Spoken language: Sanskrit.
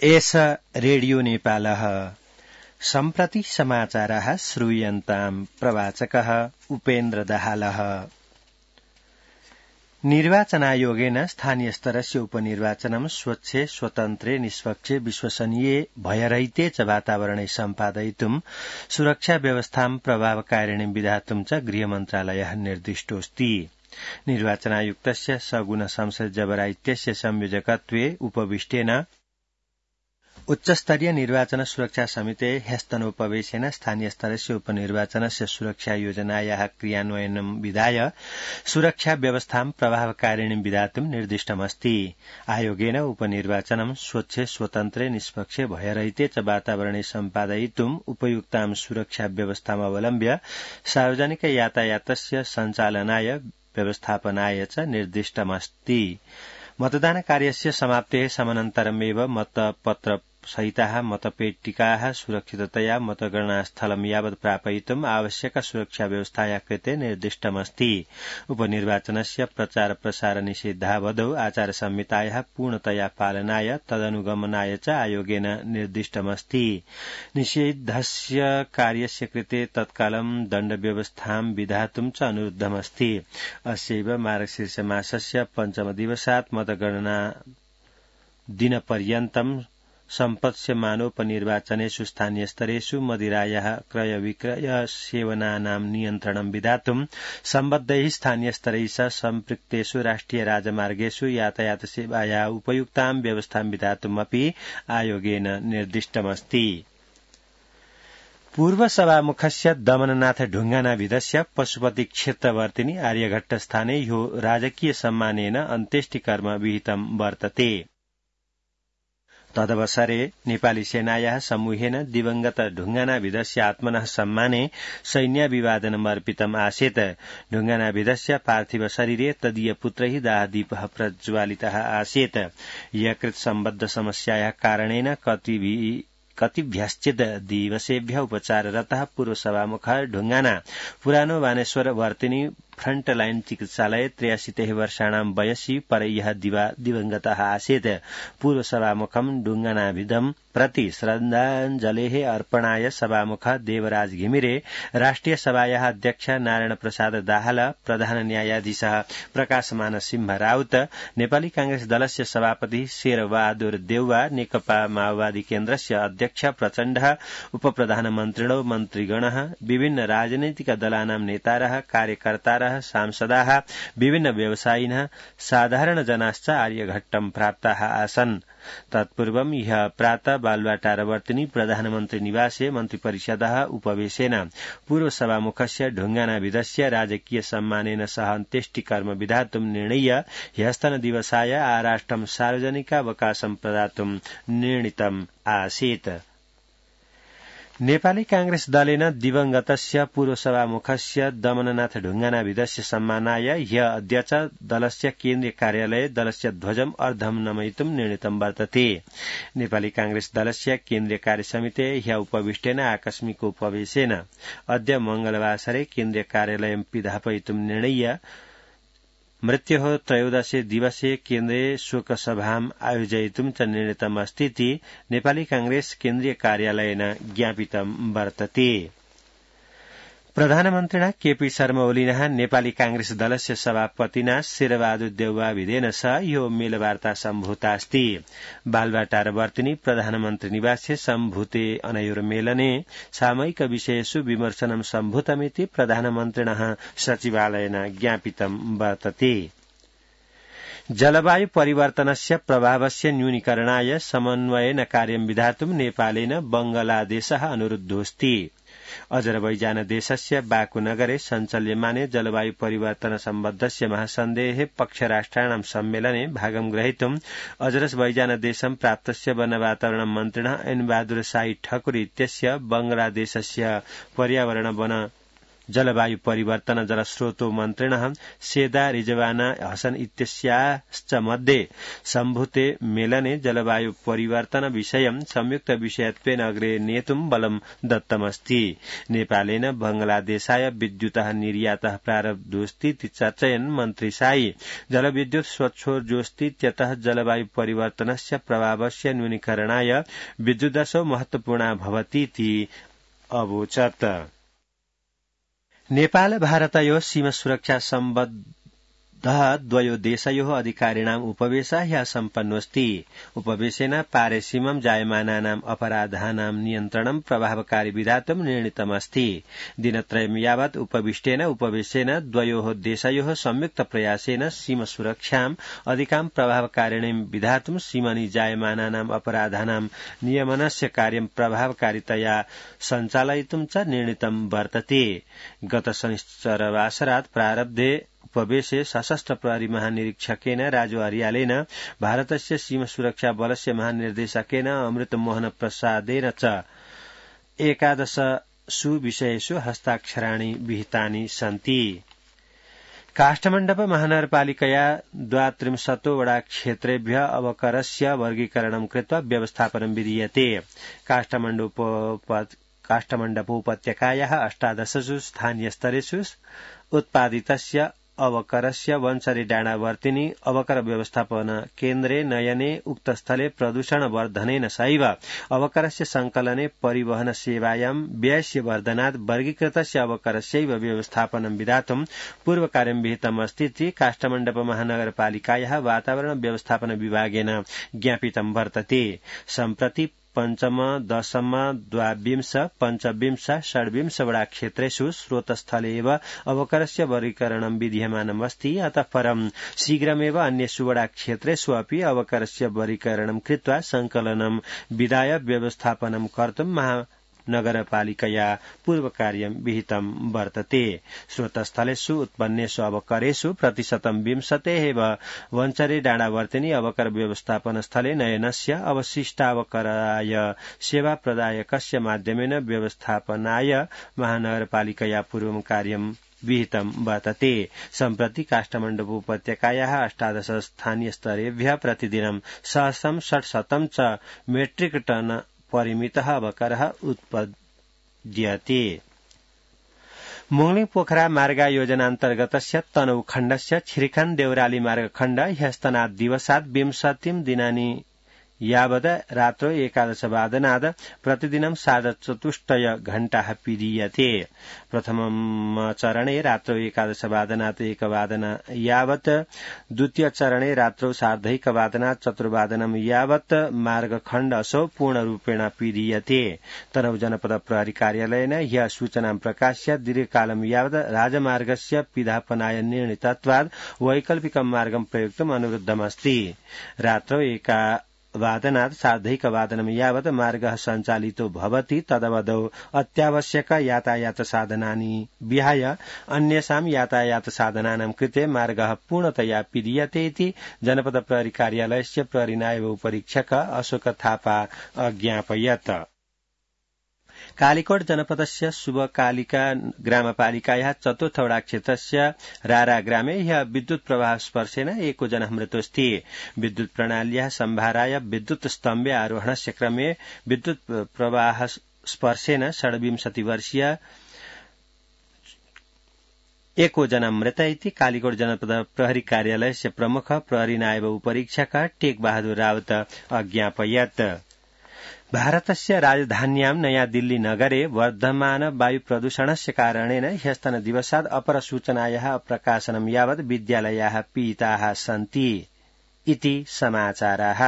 एष रेडियो नेपालः सम्प्रति समाचारः श्रूयन्ताम् प्रवाचकः उपेन्द्र दाहालः। निर्वाचनायोगेन स्थानीयस्तरस्य उपनिर्वाचनं स्वच्छे स्वतन्त्रे निष्पक्षे विश्वसनीये भयरहिते च वातावरणे सम्पादयितुं सुरक्षा व्यवस्थां प्रभावकारिणीं विधातुं च गृहमन्त्रालयः निर्दिष्टोऽस्ति। निर्वाचनायुक्तस्य सगुण संसद जबरा इत्यस्य संयोजकत्वे उपविष्टेन उच्चस्तरीय निर्वाचन सुरक्षा समिते ह्यस्तनोपवेशेन स्थानीय स्तरस्य उपनिर्वाचनस्य सुरक्षा योजनायाः क्रियान्वयनं विधाय सुरक्षा व्यवस्थां प्रभावकारिणीं विधातुं निर्दिष्टमस्ति। आयोगेन उपनिर्वाचनं स्वच्छे स्वतन्त्रे निष्पक्षे भयरहिते च वातावरणे सम्पादयितुम् उपयुक्तां सुरक्षा व्यवस्थामवलम्ब्य सार्वजनिक यातायातस्य सञ्चालनाय व्यवस्थापनाय च निर्दिष्टमस्ति। मतदान कार्यस्य समाप्तेः समनन्तरमेव मतपत्र सहिताः मतपेटिकाः सुरक्षिततया मतगणनास्थलं यावत् प्रापयितुम् आवश्यक सुरक्षा व्यवस्थाया कृते निर्दिष्टमस्ति। उपनिर्वाचनस्य प्रचार प्रसार निषेधावधौ आचार संहितायाः पूर्णतया पालनाय तदनुगमनाय च आयोगेन निर्दिष्टमस्ति। निषेधस्य कार्यस्य कृते तत्कालं दण्डव्यवस्थां विधातुं च अनुरुद्धमस्ति। अस्यैव मार्गशीर्षमासस्य पञ्चमदिवसात् मतगणना दिनपर्यन्तं सम्पत्स्यमानोपनिर्वाचनेषु स्थानीयस्तरेषु मदिरायाः क्रयविक्रय सेवनानां नियन्त्रणं विधातुं सम्बद्धैः स्थानीयस्तरैः सह सम्पृक्तेषु राष्ट्रिय राजमार्गेषु यातायातसेवायाः उपयुक्तां व्यवस्थां विधातुमपि आयोगेन निर्दिष्टमस्ति। पूर्वसभामुखस्य दमननाथ ढुङ्गानाभिधस्य पशुपति क्षेत्रवर्तिनि आर्यघट्टस्थाने ह्यो राजकीय सम्मानेन अन्त्येष्टिकर्म विहितं वर्तते। तदवसरे नेपाली सेनायाः समूहेन दिवंगत ढुङ्गानाभिधस्य आत्मनः सम्माने सैन्याभिवादनमर्पितम् आसीत्। ढुङ्गानाभिधस्य पार्थिव शरीरे तदीय पुत्रैः दाहदीपः प्रज्वालितः आसीत्। यकृत् सम्बद्ध समस्यायाः कारणेन कतिभ्यश्चित् दिवसेभ्यः उपचाररतः पूर्वसभामुखः ढुङ्गाना पुरानो बानेश्वर वर्तिनी फ्रंटलाइन चिकित्सालये 83 वर्षाणां वयसि परह्यः दिवंगतः आसीत्। पूर्वसभामुखं ढुङ्गानाभिधं प्रति श्रद्धाञ्जलेः अर्पणाय सभामुखः देवराज घिमिरे, राष्ट्रिय सभायाः अध्यक्ष नारायण प्रसाद दाहाल, प्रधान न्यायाधीशः प्रकाशमान सिंह राउत, नेपाली कांग्रेस दलस्य सभापति शेरबहादुर देउवा, नेकपा माओवादी केन्द्रस्य अध्यक्ष प्रचण्डः, उपप्रधानमन्त्रिणो मन्त्रिगणः, विभिन्न राजनैतिक दलानां नेतारः, कार्यकर्तारः, सांसदाः, विभिन्न व्यवसायिनः, साधारणजनाश्च आर्यघट्टं प्राप्ताः आसन्। तत्पूर्वं ह्यः प्रातः बालुवाटारवर्तिनि प्रधानमन्त्री निवासे मन्त्रिपरिषदः उपवेशेन पूर्वसभामुखस्य ढुङ्गानाभिधस्य राजकीय सम्मानेन सह अन्त्येष्टिकर्म विधातुं निर्णय्य ह्यस्तनदिवसाय आराष्ट्रं सार्वजनिकावकाशं प्रदातुं निर्णीतम् आसीत्। नेपाली कांग्रेस दलेन दिवंगतस्य पूर्वसभामुखस्य दमननाथ ढुङ्गानाभिधस्य सम्मानाय ह्यः अद्य च दलस्य केन्द्रीय कार्यालये दलस्य ध्वजम् अर्धं नमयितुं निर्णीतं वर्तते। नेपाली कांग्रेस दलस्य केन्द्रीय कार्यसमिते ह्यः उपविष्टेन आकस्मिक उपवेशेन अद्य मंगलवासरे केन्द्रीय कार्यालयं पिधापयितुं निर्णय्य मृत्योः 13 दिवसे केन्द्रे शोकसभाम् आयोजयितुं च निर्णीतमस्तीति नेपाली कांग्रेस केन्द्रीय कार्यालयेन ज्ञापितं वर्तते। प्रधानमन्त्रिणा केपी शर्मा ओलीनः नेपाली कांग्रेस दलस्य सभापतिना शेरबहादुर देउवाभिधेन सह यो मेलवार्ता सम्भूतास्ति। बालुवाटारवर्तिनि प्रधानमन्त्री निवासे सम्भूते अनयोः मेलने सामयिक विषयेषु विमर्शनं सम्भूतमिति प्रधानमन्त्रिणः सचिवालयेन ज्ञापितं वर्तते। जलवायु परिवर्तनस्य प्रभावस्य न्यूनीकरणाय समन्वयेन कार्यं विधातुं नेपालेन बंगलादेशः अनुरुद्धोऽस्ति। अजरबैजान देशस्य बाकु नगरे सञ्चाल्यमाने जलवायु परिवर्तन सम्बद्धस्य महासन्धेः पक्षराष्ट्राणां सम्मेलने भागं ग्रहीतुम् अजरबैजान देशं प्राप्तस्य वन वातावरण मन्त्रिणः एन बहादुर शाही ठकुर इत्यस्य बंगलादेशस्य पर्यावरण वन जलवायु परिवर्तन जलस्रोतो मन्त्रिणः सेदा रिजवाना हसन इत्यस्याश्च मध्ये सम्भूते मेलने जलवायु परिवर्तन विषयं संयुक्त विषयत्वेन अग्रे नेतुं बलं दत्तमस्ति। नेपालेन बंगलादेशाय विद्युतः निर्यातः प्रारब्धोऽस्तीति चर्चयन् मन्त्री शाही जलविद्युत् स्वच्छोर्जोऽस्तीत्यतः जलवायु परिवर्तनस्य प्रभावस्य न्यूनीकरणाय विद्युदशो महत्वपूर्णा भवतीति अवोचत्। नेपाल भारतयोः सीमा सुरक्षा सम्बद्ध द्वयो देशयोः अधिकारिणाम् उपवेशः ह्यः सम्पन्नोऽस्ति। उपवेशेन पारेसीमं जायमानानाम् अपराधानां नियन्त्रणं प्रभावकारी विधातुं निर्णीतमस्ति। दिनत्रयं यावत् उपवेशेन द्वयोः देशयोः संयुक्त प्रयासेन सीमा सुरक्षाम् अधिकां प्रभावकारिणीं विधातुं सीमनि जायमानानाम् अपराधानां नियमनस्य कार्यं प्रभावकारितया सञ्चालयितुं च निर्णीतं वर्तते। गत शनिश्चरवासरात् प्रारब्धे उपवेशे सशस्त्र प्रहरी महानिरीक्षकेन राजु अर्यालेन भारतस्य सीमा सुरक्षा बलस्य महानिर्देशकेन अमृत मोहन प्रसादेन च 11 विषयेषु हस्ताक्षराणि विहितानि सन्ति। काष्ठमण्डप महानगरपालिकया 32 वडा क्षेत्रेभ्य अवकरस्य वर्गीकरणं कृत्वा व्यवस्थापनं विधीयते। काष्ठमण्डपोपत्यकायाः 18 स्थानीयस्तरेषु उत्पादितस्य अवकरस्य वंशरी डाँडावर्तिनी अवकर व्यवस्थापन केन्द्रे नयने उक्तस्थले प्रदूषणवर्धनेन सहैव अवकरस्य संकलने परिवहन सेवायां व्ययस्य वर्धनात् वर्गीकृतस्य अवकरस्यैव व्यवस्थापनं विधातुं पूर्वकार्यं विहितमस्तीति काष्ठमण्डप महानगरपालिकायाः वातावरण व्यवस्थापन विभागेन ज्ञापितं वर्तते। सम्प्रति 5, 10, 22, 25, 26 वडा क्षेत्रेषु स्रोतस्थले एव अवकरस्य वर्गीकरणं विधीयमानमस्ति। अतः परं शीघ्रमेव अन्येषु वडा क्षेत्रेषु अपि अवकरस्य वर्गीकरणं कृत्वा संकलनं विधाय व्यवस्थापनं कर्तुं महानगरपालिकया पूर्वकार्यं विहितं वर्तते। स्रोतस्थलेषु उत्पन्नेषु अवकरेषु प्रतिशतं 20 एव वंचरे डाँडावर्तिनी अवकर व्यवस्थापन स्थले नयनस्य अवशिष्टावकराय सेवा प्रदायकस्य माध्यमेन व्यवस्थापनाय महानगरपालिकया पूर्वं कार्यं विहितं वर्तते। सम्प्रति काष्ठमण्डपोपत्यकायाः 18 स्थानीयस्तरेभ्यः प्रतिदिनं 600 च मेट्रिक टन परिमितः अवकरः उत्पद्यते। मुंगली पोखरा मार्ग योजनान्तर्गतस्य तनहु खण्डस्य छिरिखान देवराली मार्गखण्ड ह्यस्तनात् दिवसात् 20 दिनानि यावत् रात्रौ 11 वादनात् प्रतिदिनं 4.25 घण्टाः पीडीयते। प्रथमं चरणे रात्रौ 11 वादनात् 1 वादन यावत्, द्वितीय चरणे रात्रौ 1.5 वादनात् 4 वादनं यावत् मार्गखण्ड असौ पूर्णरूपेण पीडीयते। तनहु जनपद प्रहरी कार्यालयेन ह्यः सूचनां प्रकाश्य दीर्घकालं यावत् राजमार्गस्य पिधापनाय निर्णीतत्वात् वैकल्पिकं मार्गं प्रयोक्तुम् अनुरुद्धमस्ति। रात्रौ 1 वादनात् 1.5 वादनं यावत् मार्गः सञ्चालितो भवति। तदवधौ अत्यावश्यक यातायात साधनानि विहाय अन्येषां यातायात साधनानां कृते मार्गः पूर्णतया पीडीयते इति जनपद प्रहरी कार्यालयस्य प्रहरी नायब उपरीक्षक अशोक थापा अज्ञापयत्। कालीकोट जनपदस्य शुभकालिका ग्रामपालिकायाः 4th वडा क्षेत्रस्य रारा ग्रामे ह्यः विद्युत् प्रवाह स्पर्शेन 1 जनः मृतोऽस्ति। विद्युत् प्रणाल्याः सम्भाराय विद्युत् स्तम्भे आरोहणस्य क्रमे विद्युत् प्रवाह स्पर्शेन 26 वर्षीय 1 जनः मृत इति कालीकोट जनपद प्रहरी कार्यालयस्य प्रमुख प्रहरी नायब उपरीक्षक टेक बहादुर रावत अज्ञापयत्। भारतस्य राजधान्यां नया दिल्ली नगरे वर्धमान वायु प्रदूषणस्य कारणेन ह्यस्तन दिवसात् अपरसूचनायाः प्रकाशनं यावत् विद्यालयाः पीडिताः सन्ति इति समाचाराः।